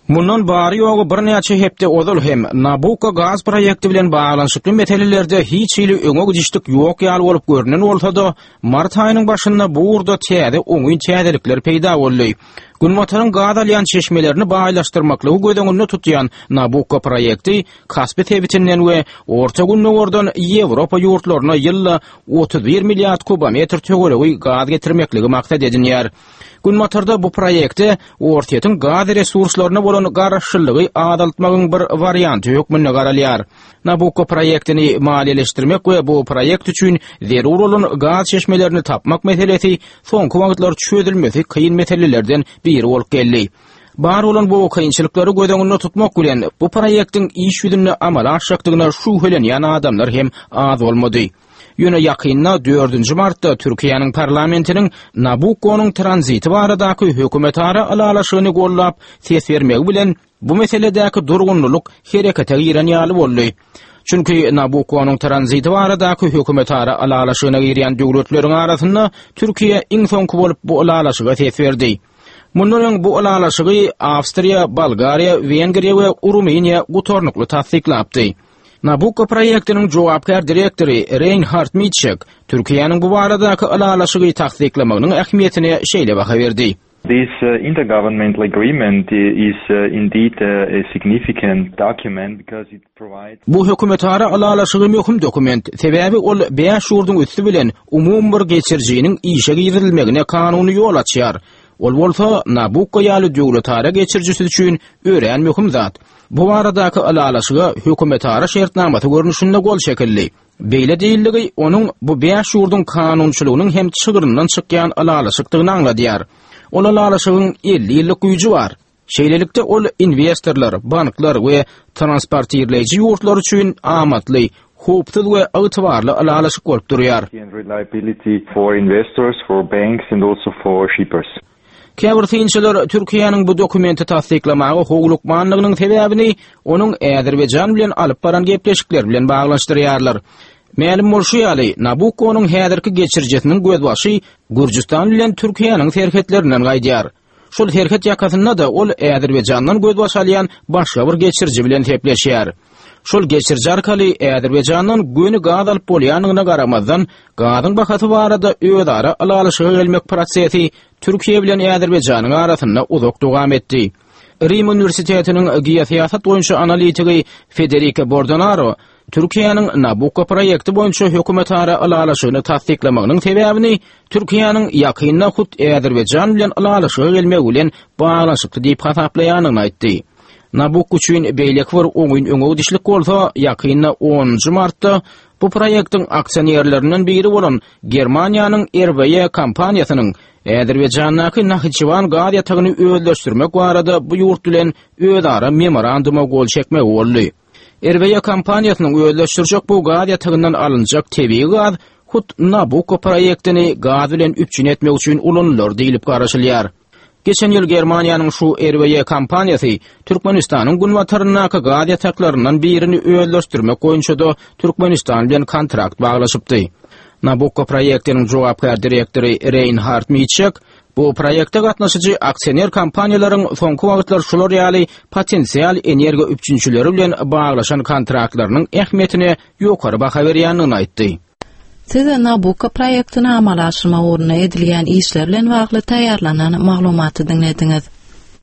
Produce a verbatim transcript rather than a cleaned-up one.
Mundan bary-ýogy birnäçe hepde ozal hem Nabukko gaz proýekti bilen baglanyşykly meselelerde hiç hili öňe gidişlik ýok ýaly bolup görünen bolsa-da, mart aýynyň başynda bu ugurda täze oňyn täzelikler peýda boldy. Günbataryň gaz alýan çeşmelerini baýlaşdyrmaklygy göz öňünde tutýan Nabukko proýekti Kaspi sebitinden we Orta Gündogardan Ýewropa ýurtlaryna ýylda otuz bir milliard kubometr töweregi gaz getirmekligi maksat edinýär. Günbatarda bu proýekte Orsýetiň gaz resurslaryna bolan garaşlylygy azaltmagyň bir warianty hökmünde garalýar. Nabukko proýektini maliýeleşdirmek we bu proýekt üçin zerur bolan gaz çeşmelerini tapmak meselesi soňky wagtlar çözülmesi kyn meselelerden biri bolup geldi. Bar bolan bu kynçylyklary göz öňünde tutmak bilen bu proýektiň iş ýüzünde amala aşjakdygyna şübhelenýän adamlar hem az bolmady. Ýöne ýakynda dördünji martda Türkiýäniň parlamentiniň Nabukkonyň tranziti baradaky hökümetara ylalaşygyny gollap ses bermegi bilen bu meseledäki durgunlylyk herekete giren ýaly boldy. Çünki Nabukkonyň tranziti baradaky hökümetara ylalaşygyna girýän döwletleriň arasynda Türkiýe iň soňky bolup bu ylalaşyga ses berdi. Mundan öň bu ylalaşygy Awstriýa, Bolgariýa, Wengriýa we Rumyniýa gutarnykly tassyklapdy. Nabukko proýektiniň jogapkär direktory Reinhard Mitschek Türkiýäniň bu baradaky ylalaşygy tassyklamagynyň ähmiýetine şeýle baha berdi. This intergovernmental agreement is indeed a significant document because it provides Bu hökümetara ylalaşygy möhüm dokument, sebäbi ol bäş ýurduň üsti bilen umumy bir geçirijiniň işe girizilmegine kanuny ýol açýar. Ol bolsa Nabukko ýaly döwletara geçirijisi üçin örän möhüm zat. Bu baradaky ylalaşyga hökümetara şertnamasy görnüşinde gol çekildi. Beýle diýildigi onuň bu bäş ýurduň kanunçylygynyň hem çygryndan çykýan ylalaşykdygyny aňladýar. Ol ylalaşygyň elli ýyllyk güýji bar. Şeýlelikde ol investorlar, banklar we transportirleýji ýurtlar üçin amatly, howpsuz we ygtybarly ylalaşyk bolup durýar. And reliability for investors, for banks and also for shippers. Käbir synçylar Türkiýäniň bu dokumenti tassyklamaga howlukmanlygynyň sebäbini onuň Azerbaýjan bilen alyp baran gepleşikleri bilen baglanyşdyrýarlar. Mälim bolşy ýaly, Nabukkonyň häzirki geçirijisiniň gözbaşy Gürjüstan bilen Türkiýäniň serhetlerinden gaýdýar. Şol serhet ýakasynda da ol Azerbaýjandan gözbaş alýan başga bir geçiriji bilen sepleşýär. Şol geçiriji arkaly Azerbaýjandan göni gaz alyp bolýandygyna garamazdan, gazyň bahasy barada özara ylalaşyga gelmek prosesi Türkiýe bilen Azerbaýjanyň arasynda uzak dowam etdi. Rim Uniwersitetiniň geosyýasat boýunça analitigi Federico Bordonaro Türkiýäniň Nabukko proýekti boýunça hökümetara ylalaşygyny tassyklamagynyň sebäbini Türkiýäniň ýakynda hut Azerbaýjan bilen ylalaşyga gelmegi bilen baglanyşykly diýip hasaplaýandygyny aýtdy. Nabukko üçin beýleki bir oňyn öňe gidişlik bolsa, ýakynda onunjy martda bu proýektiň aksionerlerinden biri bolan Germaniýanyň R W E kompaniýasynyň Azerbaýjandaky Nahiçewan gaz ýatagyny özleşdirmek barada bu ýurt bilen özara memoranduma gol çekmegi boldy. R W E kompaniýasynyň özleşdirjek bu gaz ýatagyndan alynjak tebigy gaz hut Nabukko proýektini gaz bilen üpjün etmek üçin ulanylar diýlip garaşylýar. Geçen ýyl Germaniýanyň şu R W E kompaniýasy Türkmenistanyň günbataryndaky gaz ýataklaryndan birini özleşdirmek boýunça da Türkmenistan bilen kontrakt baglaşypdy. Nabukko proýektiniň jogapkär direktory Reinhard Mitschek bu proýekte gatnaşyjy aksioner kompaniýalaryň soňky wagtlar şular ýaly potensial energiýa üpjünçileri bilen baglaşan kontraktlarynyň ähmiýetine ýokary baha berýändigini aýtdy. Siz Nabukko proýektini amala aşyrmak ugrunda edilýän işler bilen bagly taýýarlanan maglumaty diňlediňiz.